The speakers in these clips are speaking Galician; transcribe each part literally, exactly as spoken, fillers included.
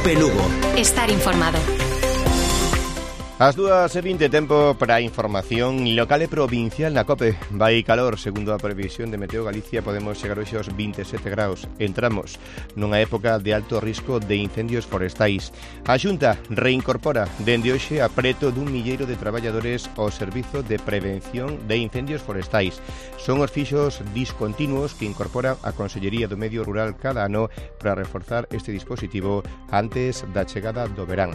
Cope Lugo. Estar informado. As dúas e vinte, tempo para a información local e provincial na COPE. Vai calor, segundo a previsión de Meteo Galicia, podemos chegar hoxe aos vinte e sete graus. Entramos nunha época de alto risco de incendios forestais. A Xunta reincorpora dende hoxe a preto dun milleiro de traballadores ao Servizo de Prevención de Incendios Forestais. Son os fixos discontinuos que incorpora a Consellería do Medio Rural cada ano para reforzar este dispositivo antes da chegada do verán.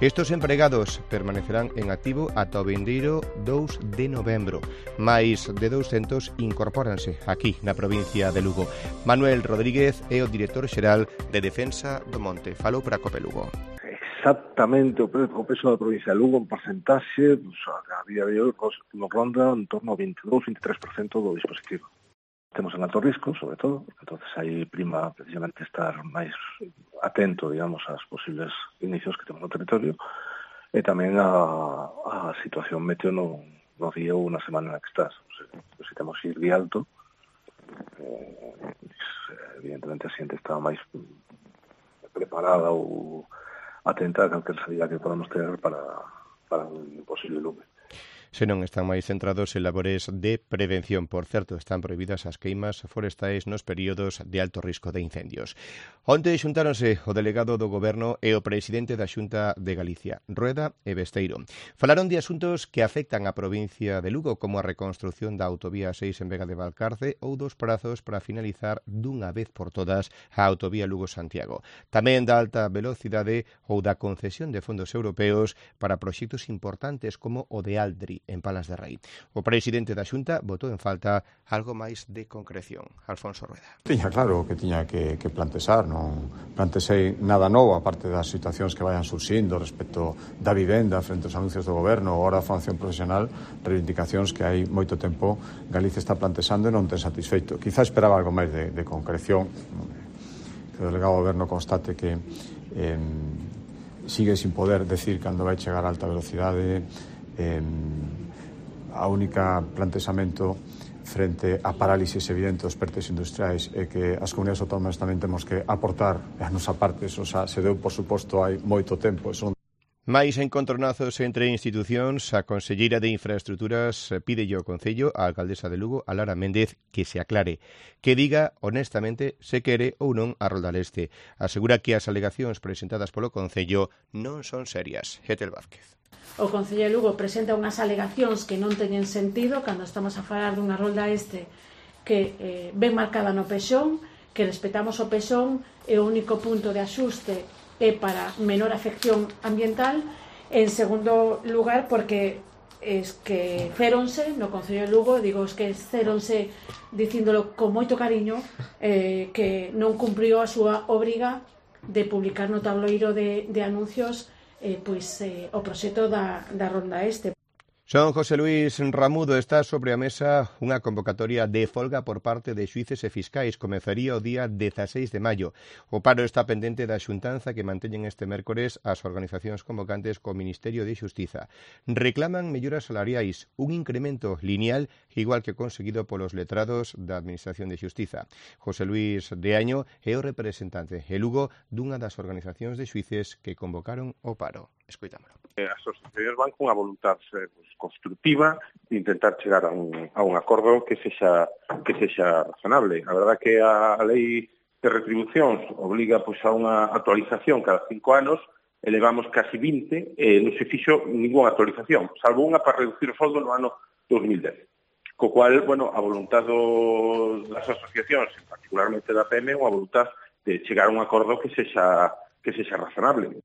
Estos empregados permanecerán en activo ata o vindeiro dous de novembro. Mais de douscentos incorpóranse aquí na provincia de Lugo. Manuel Rodríguez é o director xeral de Defensa do Monte. Falou para Cope Lugo. Exactamente o peso da provincia de Lugo en porcentaxe, pues, a día de hoy nos ronda en torno ao veintidós a veintitrés por ciento do dispositivo. Temos en alto risco, sobre todo, entonces aí prima precisamente estar máis atento, digamos, aos posibles inicios que temos no territorio e tamén a, a situación meteo no, no día ou na semana na que estás. O sea, se temos ir de alto, eh, evidentemente a xente está máis preparada ou atenta a calquer salida que podamos ter para, para un posible lume. Senón están máis centrados en labores de prevención. Por certo, están prohibidas as queimas forestais nos períodos de alto risco de incendios. Onte xuntáronse o delegado do Goberno e o presidente da Xunta de Galicia, Rueda e Besteiro. Falaron de asuntos que afectan a provincia de Lugo, como a reconstrución da autovía seis en Vega de Valcarce ou dos prazos para finalizar dunha vez por todas a autovía Lugo-Santiago. Tamén da alta velocidade ou da concesión de fondos europeos para proxectos importantes como o de Aldri, en Palas de Rei. O presidente da Xunta botou en falta algo máis de concreción. Alfonso Rueda. Tiña claro que tiña que, que plantexar, non plantexei nada novo, aparte das situacións que vayan surxindo respecto da vivenda frente aos anuncios do goberno ou a formación profesional, reivindicacións que hai moito tempo Galicia está plantexando e non ten satisfeito. Quizá esperaba algo máis de, de concreción, que o delegado do goberno constate que eh, sigue sin poder decir cando vai chegar a alta velocidade. Eh, a única plantexamento frente a parálisis evidente dos pertes industriais é que as comunidades autónomas tamén temos que aportar a nosa parte, eso xa se deu por suposto hai moito tempo. Eso... Mais encontronazos entre institucións, a conselleira de Infraestructuras pide ao Concello, a alcaldesa de Lugo, a Lara Méndez, que se aclare, que diga honestamente se quere ou non a Rolda Leste. Asegura que as alegacións presentadas polo Concello non son serias. Etel Vázquez. O Concello de Lugo presenta unhas alegacións que non teñen sentido cando estamos a falar dunha rolda este que eh, ben marcada no pexón, que respetamos o pexón e o único punto de axuste é para menor afección ambiental. En segundo lugar, porque es que céronse no Concello de Lugo, digo, es que céronse dicíndolo con moito cariño, eh, que non cumpriu a súa obriga de publicar no tabloiro de, de anuncios Eh, pois, eh, o proxecto da, da Ronda Este. Son José Luis Ramudo, está sobre a mesa unha convocatoria de folga por parte de xuíces e fiscais. Comezaría o día dezaseis de maio. O paro está pendente da xuntanza que manteñen este mércores as organizacións convocantes co Ministerio de Xustiza. Reclaman melloras salariais, un incremento lineal igual que conseguido polos letrados da Administración de Xustiza. José Luis de Año é o representante e Lugo dunha das organizacións de xuíces que convocaron o paro. Escoitámolo. As asociacións van con a voluntad eh, pues, constructiva de intentar chegar a un, a un acordo que sexa, que sexa razonable. A verdad que a, a lei de retribucións obliga pues, a unha actualización cada cinco anos, elevamos casi vinte e non se fixo ninguna actualización, salvo unha para reducir o soldo no ano dos mil dez. Co cual, bueno, a voluntad do, das asociacións, particularmente da P M, unha voluntad de chegar a un acordo que sexa, que sexa razonable.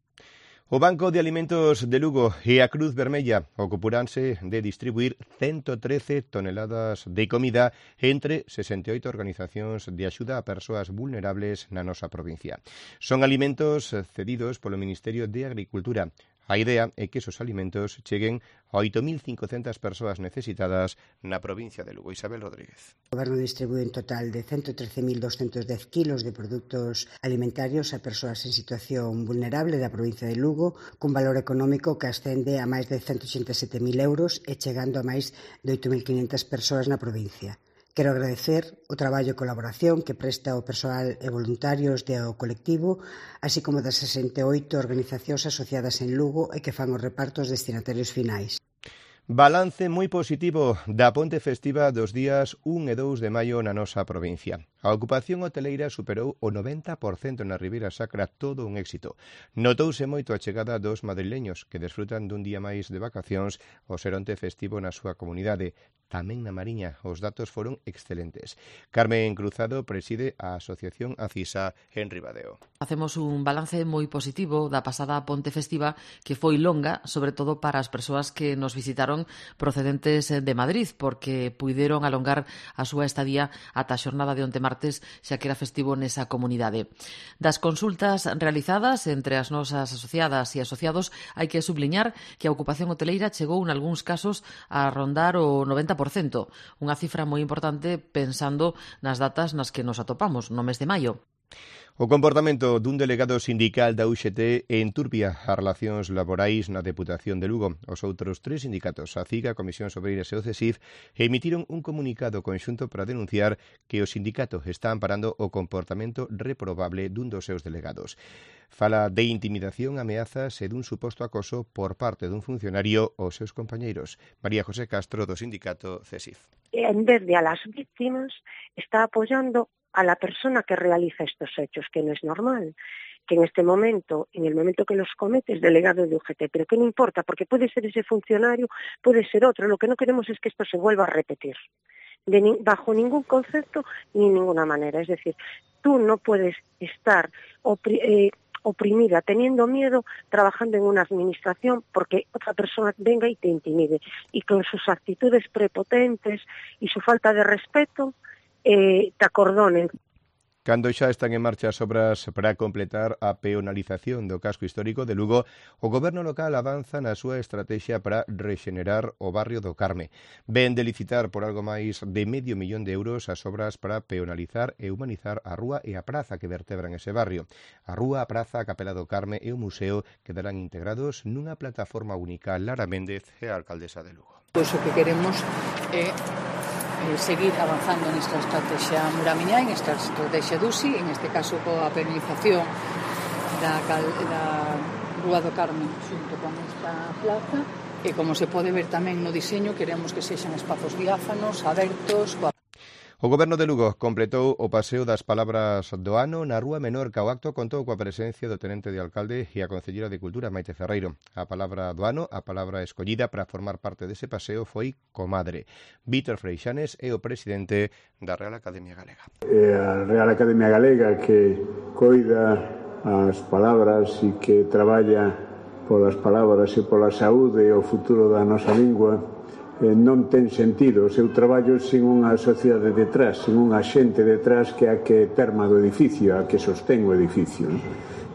O Banco de Alimentos de Lugo e a Cruz Vermella ocuparánse de distribuir ciento trece toneladas de comida entre sesenta e oito organizacións de axuda a persoas vulnerables na nosa provincia. Son alimentos cedidos polo Ministerio de Agricultura. A idea é que esos alimentos cheguen a oito mil cincocentas persoas necesitadas na provincia de Lugo. Isabel Rodríguez. O Goberno distribúe un total de ciento trece mil doscientos dez kilos de produtos alimentarios a persoas en situación vulnerable da provincia de Lugo, cun valor económico que ascende a máis de ciento oitenta e sete mil euros e chegando a máis de oito mil quinhentas persoas na provincia. Quero agradecer o traballo e colaboración que presta o persoal e voluntarios do colectivo, así como das sesenta e oito organizacións asociadas en Lugo e que fan os repartos destinatarios finais. Balance moi positivo da ponte festiva dos días un e dous de maio na nosa provincia. A ocupación hoteleira superou o noventa por cento na Ribeira Sacra, todo un éxito. Notouse moito a chegada dos madrileños que desfrutan dun día máis de vacacións o seronte festivo na súa comunidade. Tamén na Mariña os datos foron excelentes. Carmen Cruzado preside a Asociación Acisa en Ribadeo. Facemos un balance moi positivo da pasada ponte festiva que foi longa, sobre todo para as persoas que nos visitaron procedentes de Madrid, porque puideron alongar a súa estadía ata a xornada de onte martes, xa que era festivo nesa comunidade. Das consultas realizadas entre as nosas asociadas e asociados, hai que subliñar que a ocupación hoteleira chegou en algúns casos a rondar o noventa por cento, unha cifra moi importante pensando nas datas nas que nos atopamos, no mes de maio. O comportamento dun delegado sindical da U X T enturbia as relacións laborais na Deputación de Lugo. Os outros tres sindicatos, a CIGA, Comisións Obreiras e o CESIF, emitiron un comunicado conxunto para denunciar que o sindicato está amparando o comportamento reprobable dun dos seus delegados. Fala de intimidación, ameazas e dun suposto acoso por parte dun funcionario aos seus compañeiros. María José Castro, do sindicato CESIF. En vez de a las víctimas, está apoyando a la persona que realiza estos hechos, que no es normal, que en este momento, en el momento que los comete, es delegado de U G T, pero que no importa, porque puede ser ese funcionario, puede ser otro, lo que no queremos es que esto se vuelva a repetir, de ni, bajo ningún concepto ni ninguna manera, es decir, tú no puedes estar opri, eh, oprimida, teniendo miedo, trabajando en una administración porque otra persona venga y te intimide, y con sus actitudes prepotentes y su falta de respeto, Eh, te acordonen. Cando xa están en marcha as obras para completar a peonalización do casco histórico de Lugo, o goberno local avanza na súa estrategia para rexenerar o barrio do Carme. Ven de licitar por algo máis de medio millón de euros as obras para peonalizar e humanizar a rúa e a praza que vertebran ese barrio. A rúa, a praza, a Capela do Carme e o museo quedarán integrados nunha plataforma única. Lara Méndez é a alcaldesa de Lugo. Pois o que queremos é Eh, seguir avanzando nesta estrategia Muramiñai, nesta estrategia D U S I, en este caso coa penalización da, da Rúa do Carmen xunto con esta plaza, e como se pode ver tamén no diseño, queremos que sexan espazos diáfanos, abertos, coa O Goberno de Lugo completou o paseo das palabras do ano na Rúa Menorca. O acto contou coa presencia do tenente de alcalde e a concelleira de Cultura, Maite Ferreiro. A palabra do ano, a palabra escollida para formar parte dese paseo foi comadre. Vítor Freixanes é o presidente da Real Academia Galega. É a Real Academia Galega que coida as palabras e que traballa polas palabras e pola saúde e o futuro da nosa lingua. Non ten sentido o seu traballo sin unha sociedade detrás, sin unha xente detrás que a que perma do edificio, a que sostén o edificio.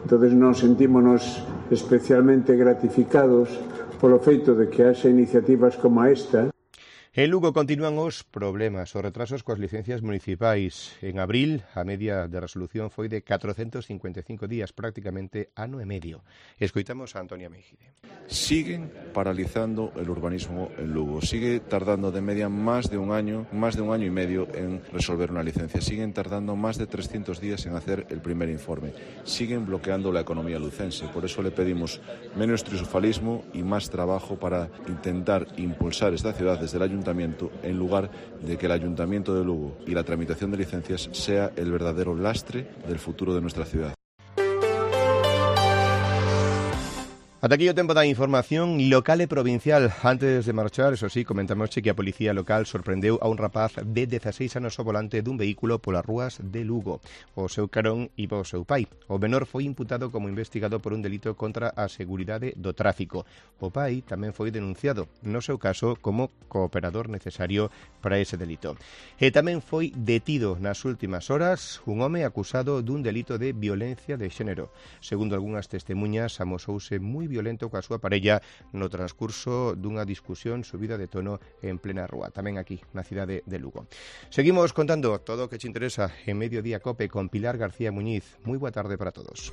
Entón, nos sentímonos especialmente gratificados polo feito de que haxa iniciativas como esta. En Lugo continúan os problemas, os retrasos coas licencias municipais. En abril, a media de resolución foi de catrocentos cincuenta e cinco días, prácticamente ano e medio. Escoitamos a Antonia Meijide. Siguen paralizando el urbanismo en Lugo. Sigue tardando de media más de un año, más de un año y medio en resolver una licencia. Siguen tardando más de trescientos días en hacer el primer informe. Siguen bloqueando la economía lucense. Por eso le pedimos menos triunfalismo y más trabajo para intentar impulsar esta ciudad desde el ayuntamiento, en lugar de que el Ayuntamiento de Lugo y la tramitación de licencias sea el verdadero lastre del futuro de nuestra ciudad. Ata aquí o tempo da información local e provincial. Antes de marchar, eso sí, comentamos que a Policía Local sorprendeu a un rapaz de dezaseis anos ao volante dun vehículo polas rúas de Lugo. O seu carón iba o seu pai. O menor foi imputado como investigado por un delito contra a seguridade do tráfico. O pai tamén foi denunciado, no seu caso, como cooperador necesario para ese delito. E tamén foi detido nas últimas horas un home acusado dun delito de violencia de xénero. Segundo algunhas testemunhas, amosouse moi violento coa súa parella no transcurso dunha discusión subida de tono en plena rúa, tamén aquí, na cidade de Lugo. Seguimos contando todo o que te interesa en Mediodía Cope con Pilar García Muñiz. Moi boa tarde para todos.